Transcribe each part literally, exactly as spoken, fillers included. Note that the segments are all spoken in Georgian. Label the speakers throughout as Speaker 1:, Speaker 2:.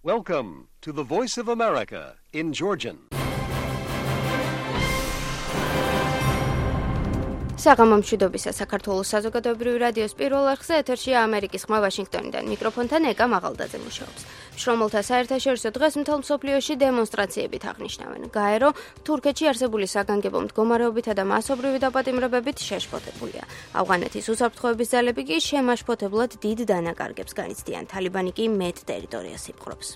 Speaker 1: Welcome to the Voice of America in Georgian.
Speaker 2: საღამომშვიდობისა საქართველოს საზოგადოებრივი რადიოს პირველ არხზე ეთერშია ამერიკის ხმა ვაშინგტონიდან. მიკროფონთან ეკა მაღალდაძე მუშაობს. შრომელთა საერთაშორისო დღეს მთელ მსოფლიოში დემონსტრაციებით აღნიშნავენ. გაერო თურქეთში არსებული საგანგებო მდგომარეობითა და მასობრივი დაპატიმრებებით შეშფოთებულია. ავღანეთის უსაფრთხოების ძალები კი შემაშფოთებლად დიდ დანაკარგებს განიცდიან. თალიბანი კი მეტ ტერიტორიას იპყრობს.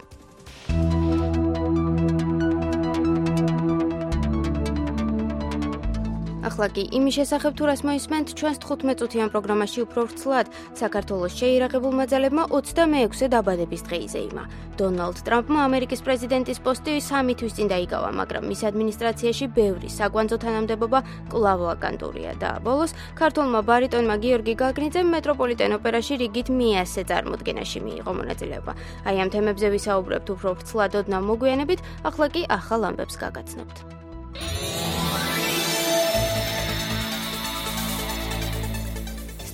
Speaker 2: ახლა კი იმის შესახებ თუ რას მოისმენთ ჩვენს თხუთმეტ წუთიან პროგრამაში უფრო ვრცლად. საქართველოს შეიარაღებულმა ძალებმა ოცდამეექვსე დაბადების დღე იზეიმა. დონალდ ტრამპმა ამერიკის პრეზიდენტის პოსტი სამი თვის წინ დაიკავა, მაგრამ მის ადმინისტრაციაში ბევრი საკვანძო თანამდებობა კვლავ ვაკანტურია და ბოლოს ქართველმა ბარიტონმა გიორგი გაგნიძემ მეტროპოლიტენ ოპერაში რიგით მეათე წარმოდგენაში მიიღო მონაწილეობა. აი ამ თემებზე ვისაუბრებთ უფრო ვრცლად ოდნავ მოგვიანებით, ახლა კი ახალ ამბებს გაგაცნობთ.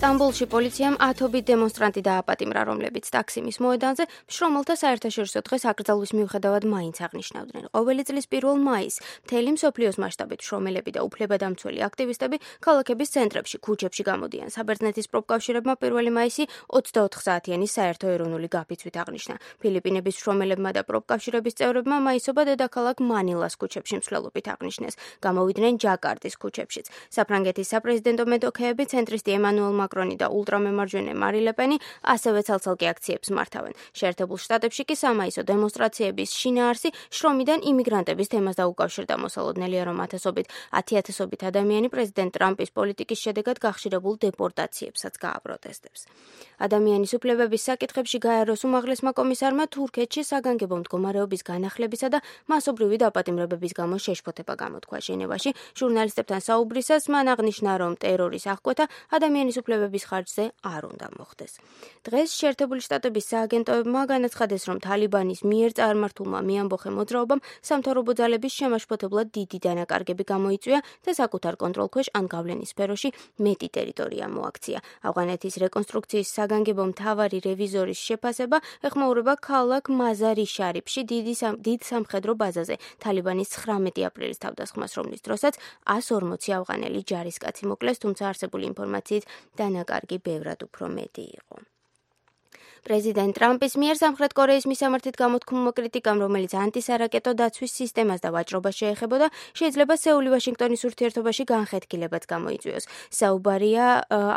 Speaker 2: სტამბოლში პოლიციამ ათობით დემონსტრანტი დააპატიმრა, რომლებიც ტაქსიმის მოედანზე შრომელთა საერთაშორისო დღეს აკრძალვის მიუხედავად მაინც აღნიშნავდნენ. ყოველი წლის პირველ მაისს მთელი მსოფლიოს მასშტაბით შრომელები და უფლებადამცველი აქტივისტები ქალაქების ცენტრებში, ქუჩებში გამოდიან. საბერძნეთის პროფკავშირებმა პირველი მაისი ოცდაოთხ საათიანი საერთო ეროვნული გაფიცვით აღნიშნა. ფილიპინების შრომელებმა და პროფკავშირების წევრებმა მაისობა დედაქალაქ მანილას ქუჩებში მსვლელობით აღნიშნეს. გამოვიდნენ ჯაკარტის ქუჩებშიც. საფრანგეთის საპრეზიდენტო მეტოქეები ცენტრისტი ემანუელ მაკრონი და ულტრამემარჯვენე მარი ლეპენი ასევე ცალ-ცალკე აქციებს მართავენ. შეერთებულ შტატებში კი სამაისო დემონსტრაციების შინაარსი შრომიდან იმიგრანტების თემას დაუკავშირდა. მოსალოდნელია, რომ ათასობით ათიათასობით ადამიანი პრეზიდენტ ტრამპის პოლიტიკის შედეგად გახშირებულ დეპორტაციებსაც გააპროტესტებს. ადამიანის უფლებების საკითხებში გაეროს უმაღლესმა კომისარმა თურქეთში საგანგებო მდგომარეობის განახლებისა და მასობრივი დაპატიმრებების გამო შეშფოთება გამოთქვა. ჟენევაში ჟურნალისტებთან საუბრისას მან აღნიშნა, რომ ტერორის აღკვეთა ადამიანის უფლებების ხარჯზე არ უნდა მოხდეს. დღეს შეერთებული შტატების სააგენტოებმა განაცხადეს, რომ თალიბანის მიერ წარმართულმა მეამბოხე მოძრაობამ სამთავრობო ძალების შემაშფოთებლად დიდი დანაკარგები გამოიწვია და საკუთარ კონტროლქვეშ ან გავლენის სფეროში მეტი ტერიტორია მოაქცია. ავღანეთის რეკონსტრუქციის საგანგებო მთავარი რევიზორის შეფასება ეხმაურება ქალაქ მაზარი შარიფში დიდი დიდ სამხედრო ბაზაზე. თალიბანის ცხრამეტი აპრილის თავდასხმას, რომლის დროსაც εκατს ორმოცი ავღანელი ჯარისკაცი მოკლეს, თუმცა არსებული ინფორმაციით დანაკარგი ბევრად უფრო მეტი იყო. პრეზიდენტ ტრამპის მიერ სამხრეთ კორეის მისამართით გამოთქმულმა კრიტიკამ, რომელიც ანტისარაკეტო დაცვის სისტემას და ვაჭრობას შეეხებოდა, შეიძლება სეული ვაშინგტონის ურთიერთობაში განხეთქილებაც გამოიწვიოს. საუბარია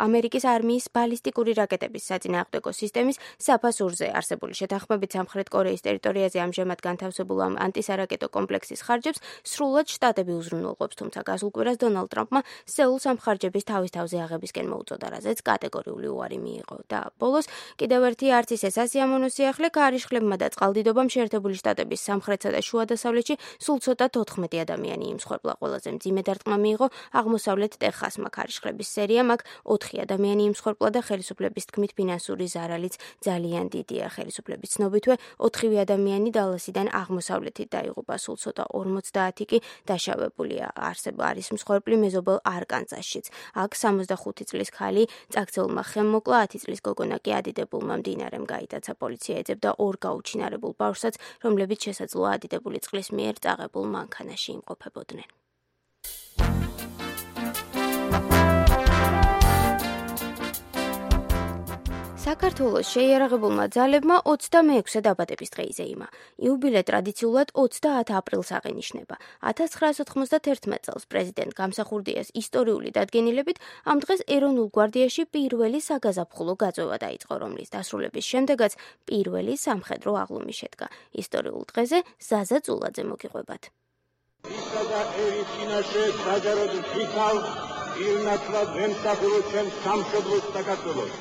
Speaker 2: ამერიკის არმიის ბალისტიკური რაკეტების საწინააღმდეგო სისტემის საფასურზე. არსებული შეთანხმებით სამხრეთ კორეის ტერიტორიაზე ამჟამად განთავსებულ ამ ანტისარაკეტო კომპლექსის ხარჯებს სრულად შტატები უზრუნველყოფს, თუმცა გასულ კვირას დონალდ ტრამპმა სეულს ამ ხარჯების თავის თავზე აღებისკენ მოუწოდა, რაზეც კატეგორიული უარი მიიღო. და ბოლოს კიდევ ერთი არც ისე სასიამოვნო სიახლე ქარიშხლებმა და წყალდიდობამ შეერთებული შტატების სამხრეთსა და შუა დასავლეთში სულ ცოტა თოთხმეტი ადამიანი იმსხვერპლა. ყველაზე მძიმე დარტყმა მიიღო აღმოსავლეთ ტეხასმა. ქარიშხლების სერიამ აქ ოთხი ადამიანი იმსხვერპლა და ხელისუფლების თქმით ფინანსური ზარალიც ძალიან დიდია. ხელისუფლების ცნობითვე ოთხივე ადამიანი დალასიდან აღმოსავლეთით დაიღუპა, სულ ცოტა ორმოცდაათი კი დაშავებულია. არსება არის მსხვერპლი მეზობელ არკანზასშიც. აქ სამოცდახუთი წლის ქალი წაქცეულმა ხემმოკლა, ათი წლის გოგონა კი ადიდებულმა მდინარემ გაიტაცა. პოლიცია ეძებდა ორ გაუჩინარებულ ბავშვსაც, რომლებიც შესაძლოა ადიდებული წყლის მიერ წაღებულ მანქანაში იმყოფებოდნენ. საქართველოს შეიარაღებულმა ძალებმა ოცდამეექვსე დაბადების დღე იზეიმა. იუბილე ტრადიციულად ოცდაათ აპრილს აღინიშნება. ათას ცხრაასა თხმოცდათერთმეტ წელს პრეზიდენტ გამსახურდიას ისტორიული დადგენილებით ამ დღეს ეროვნულ გვარდიაში პირველი საგაზაფხულო გაწვევა დაიწყო, რომლის დასრულების შემდეგაც პირველი სამხედრო აღლუმი შედგა. ისტორიულ დღეზე ზაზა წულაძე მოგიყვებათ.
Speaker 3: ისა და ერის წინაშე საჯაროდ ვიქავ ირნათლად ვემსახურო ჩემს სამშობლოს საქართველოს.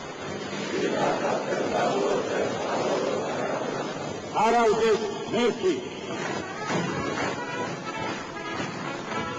Speaker 3: არავდეს მერქი.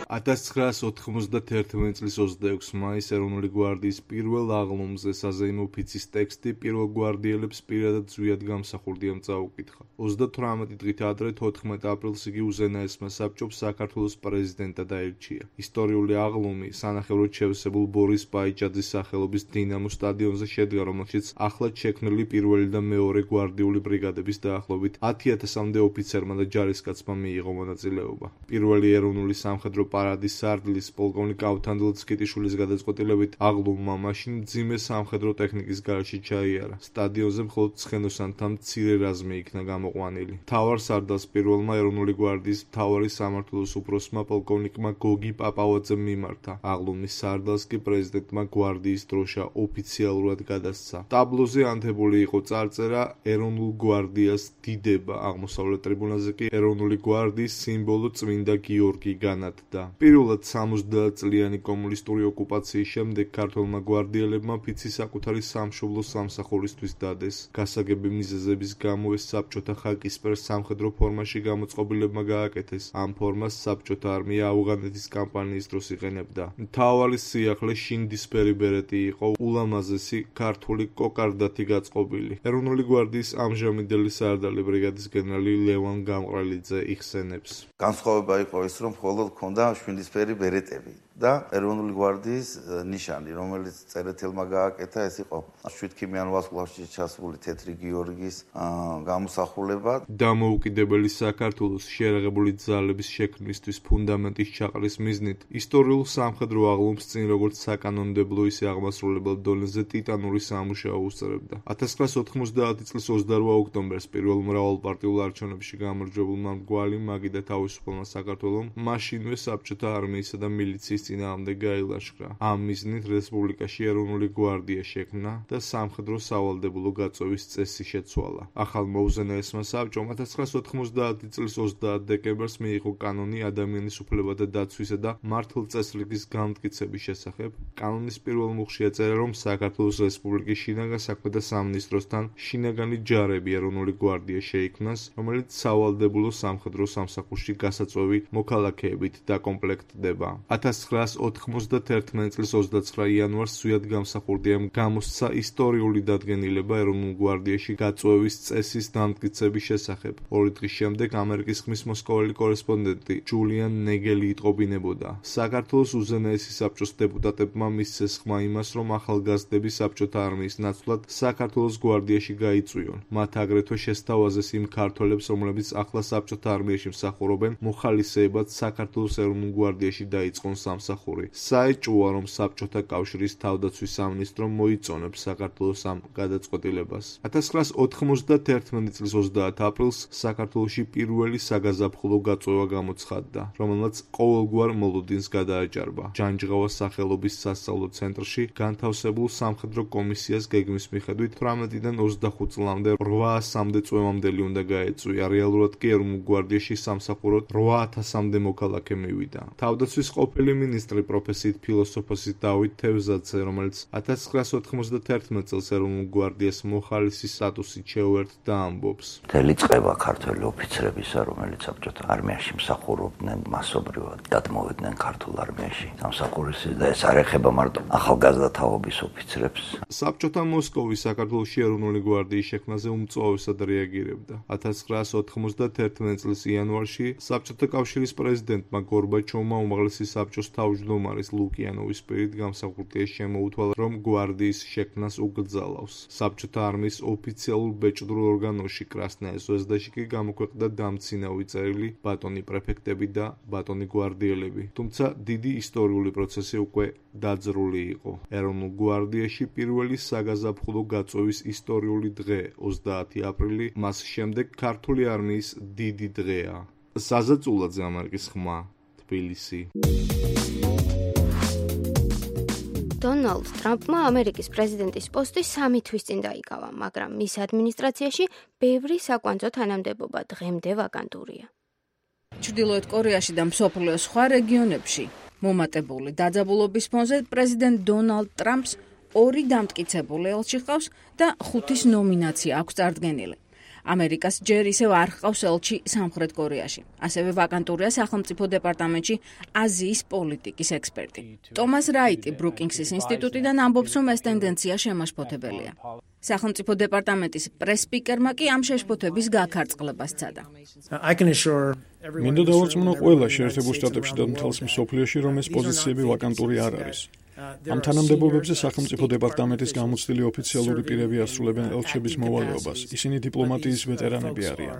Speaker 4: ათას ცხრაას ოთხმოცდაერთი წლის ოცდაექვსი მაისს ეროვნული გვარდიის პირველ აღლუმზე საზეიმო ოფიცის ტექსტი პირველ გვარდიელებს პირადად ზვიად გამსახურდიამ წაუკითხა. ოცდათვრამეტი დღით ადრე თოთხმეტ აპრილს იგი უზენაესმა საბჭომ საქართველოს პრეზიდენტად აირჩია. ისტორიული აღლუმი სანახევროდ შევსებულ ბორის ბაიჭაძის სახელობის დინამო სტადიონზე შედგა, რომელშიც ახლად შექმნილი პირველი და მეორე გვარდიული ბრიგადების დაახლოებით ათი ათასამდე ოფიცერმა და ჯარისკაცმა მიიღო მონაწილეობა. პირველი ეროვნული სამხედრო პარადის სარდლის პოლკოვნიკ ავთანდილ ცქიტიშვილის გადაწყვეტილებით აღლუმმა მაშინ მძიმე სამხედრო ტექნიკის გარეშე ჩაიარა. სტადიონზე მხოლოდ ცხენოსანთა მცირე რაზმი იქნა გამოყვანილი. მთავარ სარდალს პირველმა ეროვნული გვარდიის მთავარი სამმართველოს უფროსმა პოლკოვნიკმა გოგი პაპავაძემ მიმართა. აღლუმის სარდალს კი პრეზიდენტმა გვარდიის დროშა ოფიციალურად გადასცა. ტაბლოზე ანთებული იყო წარწერა ეროვნულ გვარდიას დიდება, აღმოსავლეთ ტრიბუნაზე კი ეროვნული გვარდიის სიმბოლო წმინდა გიორგი განათდა. პირველად სამოცდაათ წლიანი კომუნისტური ოკუპაციის შემდეგ ქართველმა გვარდიელებმა ფიცი საკუთარი სამშობლო სამსახურისთვის დადეს. გასაგები მიზეზების გამო ეს საბჭოთა ხაკისპერ სამხედრო ფორმაში გამოწყობილებმა გააკეთეს. ამ ფორმას საბჭოთა არმია ავღანეთის კამპანიის დროს იყენებდა. მთავარი სიახლე შინდისფერი ბერეტი იყო, ულამაზესი ქართული კოკარდათი გაწყობილი. ეროვნული გვარდიის ამჟამინდელი სარდალი ბრიგადის გენერალი ლევან გამყრელიძე იხსენებს.
Speaker 5: განსხვავება იყო ის, რომ მხოლოდ ჰქონდა შვიდისფერი ბერეტები და ეროვნული გვარდიის ნიშანი, რომელიც წერეთელმა გააკეთა, ეს იყო შვიდქიმიან ვარსკვლავში ჩასული თეთრი გიორგის გამოსახულება.
Speaker 4: დამოუკიდებელი საქართველოს შეიარაღებული ძალების შექმნისთვის ფუნდამენტის ჩაყრის მიზნით ისტორიულ სამხედრო აღლუმს წინ როგორც საკანონმდებლო ისე აღმასრულებელ დონეზე ტიტანური სამუშაო უსწრებდა. ათას ცხრაას ოთხმოცდაათი წლის ოცდარვა ოქტომბერს პირველ მრავალპარტიულ არჩევნებში გამარჯვებულმა მრგვალი მაგი და თავისუფალმა საქართველომ მაშინვე საბჭოთა არმიისა და მილიციის წინააღმდეგ გაილაშქრა. ამ მიზნით რესპუბლიკაში ეროვნული გვარდია შექმნა და სამხედრო სავალდებულო გაწევის წესი შეცვალა. ახალმა უზენაესმა საბჭომ ათას ცხრაას ოთხმოცდაათი წლის ოცდაათ დეკემბერს მიიღო კანონი ადამიანის უფლებათა დაცვისა და მართლწესრიგის განმტკიცების შესახებ. კანონის პირველ მუხლში ეწერა, რომ საქართველოს რესპუბლიკის შინაგან საქმეთა სამინისტროსთან შინაგანი ჯარები ეროვნული გვარდია შეიქმნას, რომელიც სავალდებულო სამხედრო სამსახურში გასაწვევი მოქალაქეებით დაკომპლექტდება. ათას ცხრაას ოთხმოცდაერთი წლის ოცდაცხრა იანვარს ზვიად გამსახურდიამ გამოსცა ისტორიული დადგენილება ეროვნულ გვარდიაში გაწვევის წესის დამტკიცების შესახებ. ორი დღის შემდეგ ამერიკის ხმის მოსკოველი კორესპონდენტი ჯულიან ნეგელი იტყობინებოდა. საქართველოს უზენაესი საბჭოს დეპუტატებმა მისცეს ხმა იმას, რომ ახალგაზრდები საბჭოთა არმიის ნაცვლად საქართველოს გვარდიაში გაიწვიონ. მათ აგრეთვე შესთავაზეს იმ ქართველებს, რომლებიც ახლა საბჭოთა არმიაში მსახურობენ, მოხალისეებად საქართველოს ეროვნულ გვარდიაში დაიწყონ სამსახური. საეჭვოა, რომ საბჭოთა კავშირის თავდაცვის სამინისტრომ მოიწონებს საქართველოს ამ გადაწყვეტილებას. ათას ცხრაას ოთხმოცდაერთი წლის ოცდაათ აპრილს საქართველოში პირველი საგაზაფხულო გაწვევა გამოცხადდა, რომელმაც ყოველგვარ მოლოდინს გადააჭარბა. ჯანჯღავას სახელობის სასწავლო ცენტრში განთავსებულ სამხედრო კომისიას გეგმის მიხედვით თვრამეტიდან ოცდახუთ წლამდე რვა ასამდე წვევამდელი უნდა გაეწვია. რეალურად კი ეროვნულ გვარდიაში სამსახუროდ რვა ათასამდე მოქალაქე მივიდა. თავდაცვის ყოფილი მინისტრი პროფესიით ფილოსოფოსი დავით თევზაძე, რომელიც ათას ცხრაას ოთხმოცდაერთი წელს ეროვნულ გვარდიას მოხალისი სტატუსით შეუერთდა, ამბობს.
Speaker 6: მთელი წყება ქართველი ოფიცრებისა, რომელიც საბჭოთა არმიაში მსახურობდნენ, მასობრივად გადმოვიდნენ ქართულ არმიაში სამსახურისას და ეს არ ეხება მარტო ახალგაზრდა თაობის ოფიცრებს.
Speaker 4: საბჭოთა მოსკოვი საქართველოში ეროვნული გვარდიის შექმნაზე უმწვავესად რეაგირებდა. ათას ცხრაას ოთხმოცდაერთი წლის იანვარში საბჭოთა კავშირის პრეზიდენტმა გორბაჩოვმა უმაღლესი საბჭოს თავმჯდომარის ლუკიანოვის პირით გამსახურდია შემოუთვალა, რომ გვარდიის შექმნას უკრძალავს. საბჭოთა არმიის ოფიციალურ ბეჭდურ ორგანოში კრასნაია ზვეზდაში კი გამოქვეყნდა დამცინავი წერილი ბატონი პრეფექტები და ბატონი გვარდიელები. თუმცა დიდი ისტორიული პროცესი უკვე დაძრული იყო. ეროვნულ გვარდიაში პირველი საგაზაფხულო გაწვევის ისტორიული დღე ოცდაათი აპრილი, მას შემდეგ ქართული არმიის დიდი დღეა. საზაწულაძე, ამერიკის ხმა, თბილისი.
Speaker 2: დონალდ ტრამპმა ამერიკის პრეზიდენტის პოსტი სამი თვის წინ დაიკავა, მაგრამ მის ადმინისტრაციაში ბევრი საკვანძო თანამდებობა დღემდე ვაკანტურია.
Speaker 7: ჩრდილოეთ კორეაში და მსოფლიოს სხვა რეგიონებში მომატებული დაძაბულობის ფონზე პრეზიდენტ დონალდ ტრამპს ორი დამტკიცებული ელჩი ჰყავს და ხუთის ნომინაცია აქვს წარდგენილი. ამერიკას ჯერ ისევ არ ჰყავს ელჩი სამხრეთ კორეაში. ასევე ვაკანტურია სახელმწიფო დეპარტამენტში აზიის პოლიტიკის ექსპერტი. ტომას რაიტი ბრუკინგსის ინსტიტუტიდან ამბობს, რომ ეს ტენდენცია შემაშფოთებელია. სახელმწიფო დეპარტამენტის პრეს-სპიკერმა კი ამ შეშფოთების გაქარწყლებას სცადა.
Speaker 8: მინდა დავარწმუნო ყველა შეერთებულ შტატებში და მთელს მსოფლიოში, რომ ეს პოზიციები ვაკანტური არ არის. ამ თანამდებობებზე სახელმწიფო დეპარტამენტის გამოცდილი ოფიციალური პირები ასრულებენ ელჩების მოვალეობას. ისინი დიპლომატიის ვეტერანები არიან.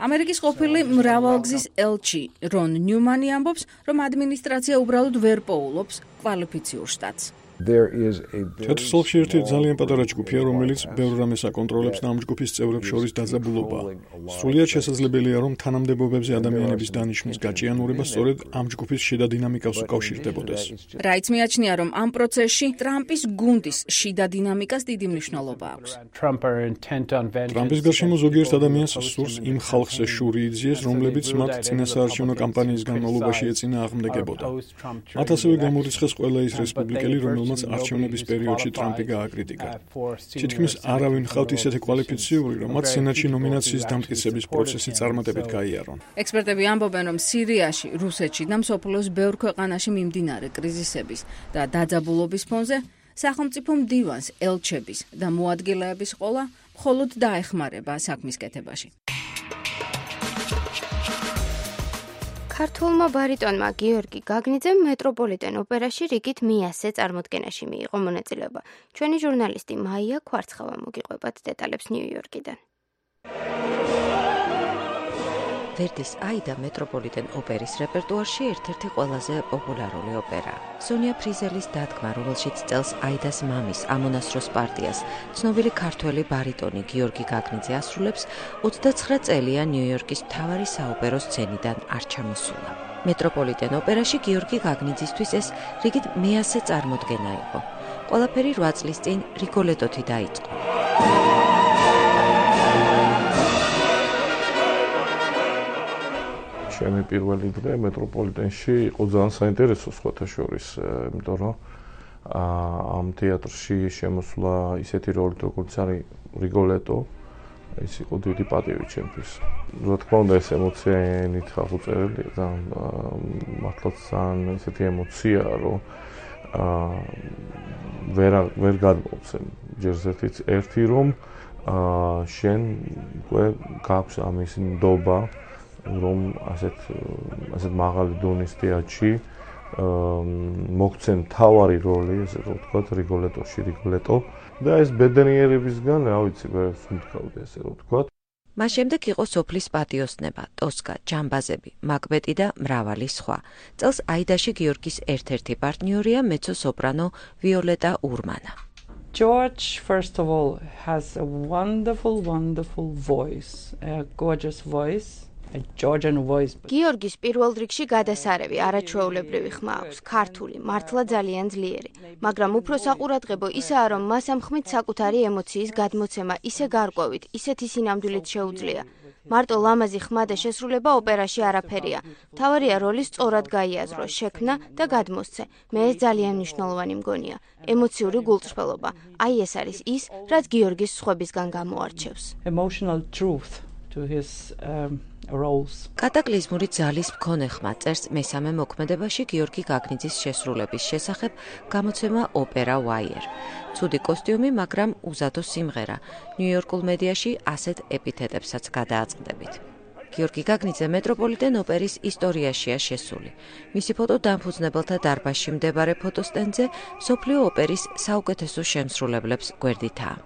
Speaker 7: ამერიკის ყოფილი მრავალგზის ელჩი რონ ნიუმანი ამბობს, რომ ადმინისტრაცია უბრალოდ ვერ პოულობს კვალიფიციურ შტატს.
Speaker 8: ჩათრსალში ერთი ძალიან პატარა ჯგუფია, რომელიც ბევრ რამეს აკონტროლებს და ამ ჯგუფის წევრებს შორის დაძაბულობაა. სრულიად შესაძლებელია, რომ თანამდებობებზე ადამიანების დანიშვნის გაჭიანურება სწორედ ამ ჯგუფის შიდა დინამიკას უკავშირდებოდეს.
Speaker 7: რაიც მიაჩნია, რომ ამ პროცესში ტრამპის გუნდის შიდა დინამიკას დიდი მნიშვნელობა აქვს.
Speaker 8: ტრამპის გარშემო ზოგიერთ ადამიანს სურს იმ ხალხს შური იძიეს, რომლებიც მათ წინასაარჩევნო კამპანიის განმავლობაში ეწინააღმდეგებოდა. მათ ასევე გამორიცხეს ყველა ის რესპუბლიკელი, რომელმაც არჩევნების პერიოდში ტრამპი გააკრიტიკა. თითქმის არავინ ჰყავთ ისეთი კვალიფიციური, რომ მათ სენატში ნომინაციის დამტკიცების პროცესი წარმატებით გაიარონ.
Speaker 7: ექსპერტები ამბობენ, რომ სირიაში, რუსეთში და მსოფლიოს ბევრ ქვეყანაში მიმდინარე კრიზისების და დაძაბულობის ფონზე სახელმწიფო მდივანს ელჩების და მოადგილეების ყოლა მხოლოდ დაეხმარება საქმის კეთებაში.
Speaker 2: ქართულმა ბარიტონმა გიორგი გაგნიძემ მეტროპოლიტენ ოპერაში რიგით მეასე წარმოდგენაში მიიღო მონაწილეობა. ჩვენი ჟურნალისტი მაია ქვარცხავა მოგიყვებათ დეტალებს ნიუ-იორკიდან.
Speaker 9: ვერდის აიდა მეტროპოლიტენ ოპერის რეპერტუარში ერთ-ერთი ყველაზე პოპულარული ოპერაა. სონია ფრიზელის დადგმა, რომელშიც წელს აიდას მამის ამონასროს პარტიას ცნობილი ქართველი ბარიტონი გიორგი გაგნიძე ასრულებს, ოცდაცხრა წელია ნიუ-იორკის მთავარი საოპერო სცენიდან არ ჩამოსულა. მეტროპოლიტენ ოპერაში გიორგი გაგნიძისთვის ეს რიგით მეასე წარმოდგენა იყო. ყველაფერი რვა წლის წინ რიგოლეტოთი დაიწყო.
Speaker 10: ჩემი პირველი დღე მეტროპოლიტენში იყო ძალიან საინტერესო სხვათა შორის, იმიტომ რომ ამ თეატრში შემოსვლა ისეთი როლით, როგორც არის რიგოლეტო, ის იყო დიდი პატივი ჩემთვის. რა თქმა უნდა, ეს ემოციით ხახუწერელი და მართლაც ძალიან ისეთი ემოციაა, რომ ვერ ვერ გადმოვცემ. ჯერ ერთი რომ შენ უკვე გაქვს ამის ნდობა, რომ ასეთ ასეთ მაღალი დონის თეატრში მოგცემ თავარი როლი, ესე რომ ვთქვათ, რიგოლეტოში, რიგოლეტო და ეს ბედნიერებისგან, რა ვიცი, ვერ ვსუნთქავდი, ესე რომ ვთქვათ.
Speaker 9: მას შემდეგ იყო სოფლის პატიოსნება, ტოსკა, ჯამბაზები, მაკბეტი და მრავალი სხვა. წელს აიდაში გიორგის ერთ-ერთი პარტნიორია მეცო-სოპრანო ვიოლეტა ურმანა.
Speaker 11: George, first of all, has a wonderful, wonderful voice, a gorgeous voice.
Speaker 2: გიორგის პირველ რიგში გადასარევი, არაჩვეულებრივი ხმა აქვს, ქართული, მართლა ძალიან ძლიერი, მაგრამ უფრო საყურადღებო ისაა, რომ მას ამ ხმით საკუთარი ემოციის გადმოცემა ისე გარკვევით, ისეთი სინამდვილით შეუძლია. მარტო ლამაზი ხმა და შესრულება ოპერაში არაფერია. მთავარია როლი სწორად გაიაზრო, შექმნა და გადმოსცე. მე ეს ძალიან მნიშვნელოვანი მგონია. ემოციური გულწრფელობა. აი ეს არის ის, რაც გიორგის სხვებისგან გამოარჩევს.
Speaker 11: Emotional truth to his um
Speaker 9: კატაკლიზმური ძალის მქონე ხმა წერს მესამე მოქმედებაში გიორგი გაგნიძის შესრულების შესახებ გამოცემა ოპერა Wire. ცუდი კოსტიუმი, მაგრამ უზადო სიმღერა. ნიუ-იორკულ მედიაში ასეთ ეპითეტებსაც გადააწყდებით. გიორგი გაგნიძე მეტროპოლიტენ ოპერის ისტორიაშია შესული. მისი ფოტო დამფუძნებელთა დარბაზში მდებარე ფოტოსტენდზე მსოფლიო ოპერის საუკეთესო შემსრულებლებს გვერდითაა.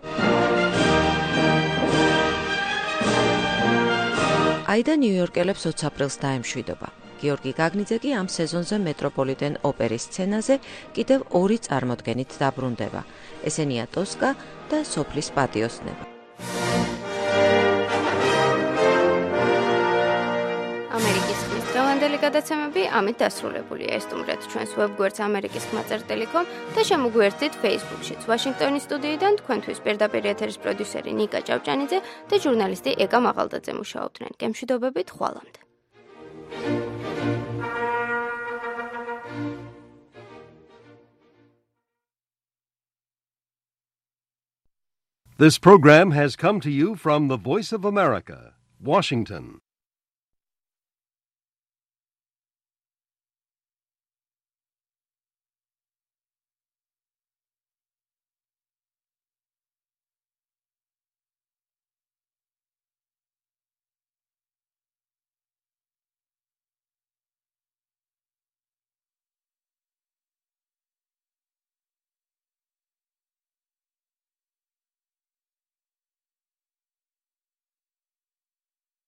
Speaker 9: აიდა ნიუ-იორკელებს ოც აპრილს დაემშვიდობა. გიორგი გაგნიძე კი ამ სეზონზე მეტროპოლიტენ ოპერის სცენაზე კიდევ ორი წარმოდგენით დაბრუნდება. ესენია ტოსკა და სოფლის პატიოსნება.
Speaker 2: ამერიკის ხმის დღევანდელი გადაცემები ამით დასრულებულია. ესტუმრეთ ჩვენს ვებგვერდს ამერიკის ხმა წერტ კომ და შემოგვიერთდით Facebook-შიც. ვაშინგტონის სტუდიიდან თქვენთვის პირდაპირ ეთერის პროდიუსერი ნიკა ჭავჭანიძე და ჟურნალისტი ეკა მაღალდაძე მუშაობდნენ. გემშვიდობებით, ხვალამდე.
Speaker 1: This program has come to you from the Voice of America, Washington.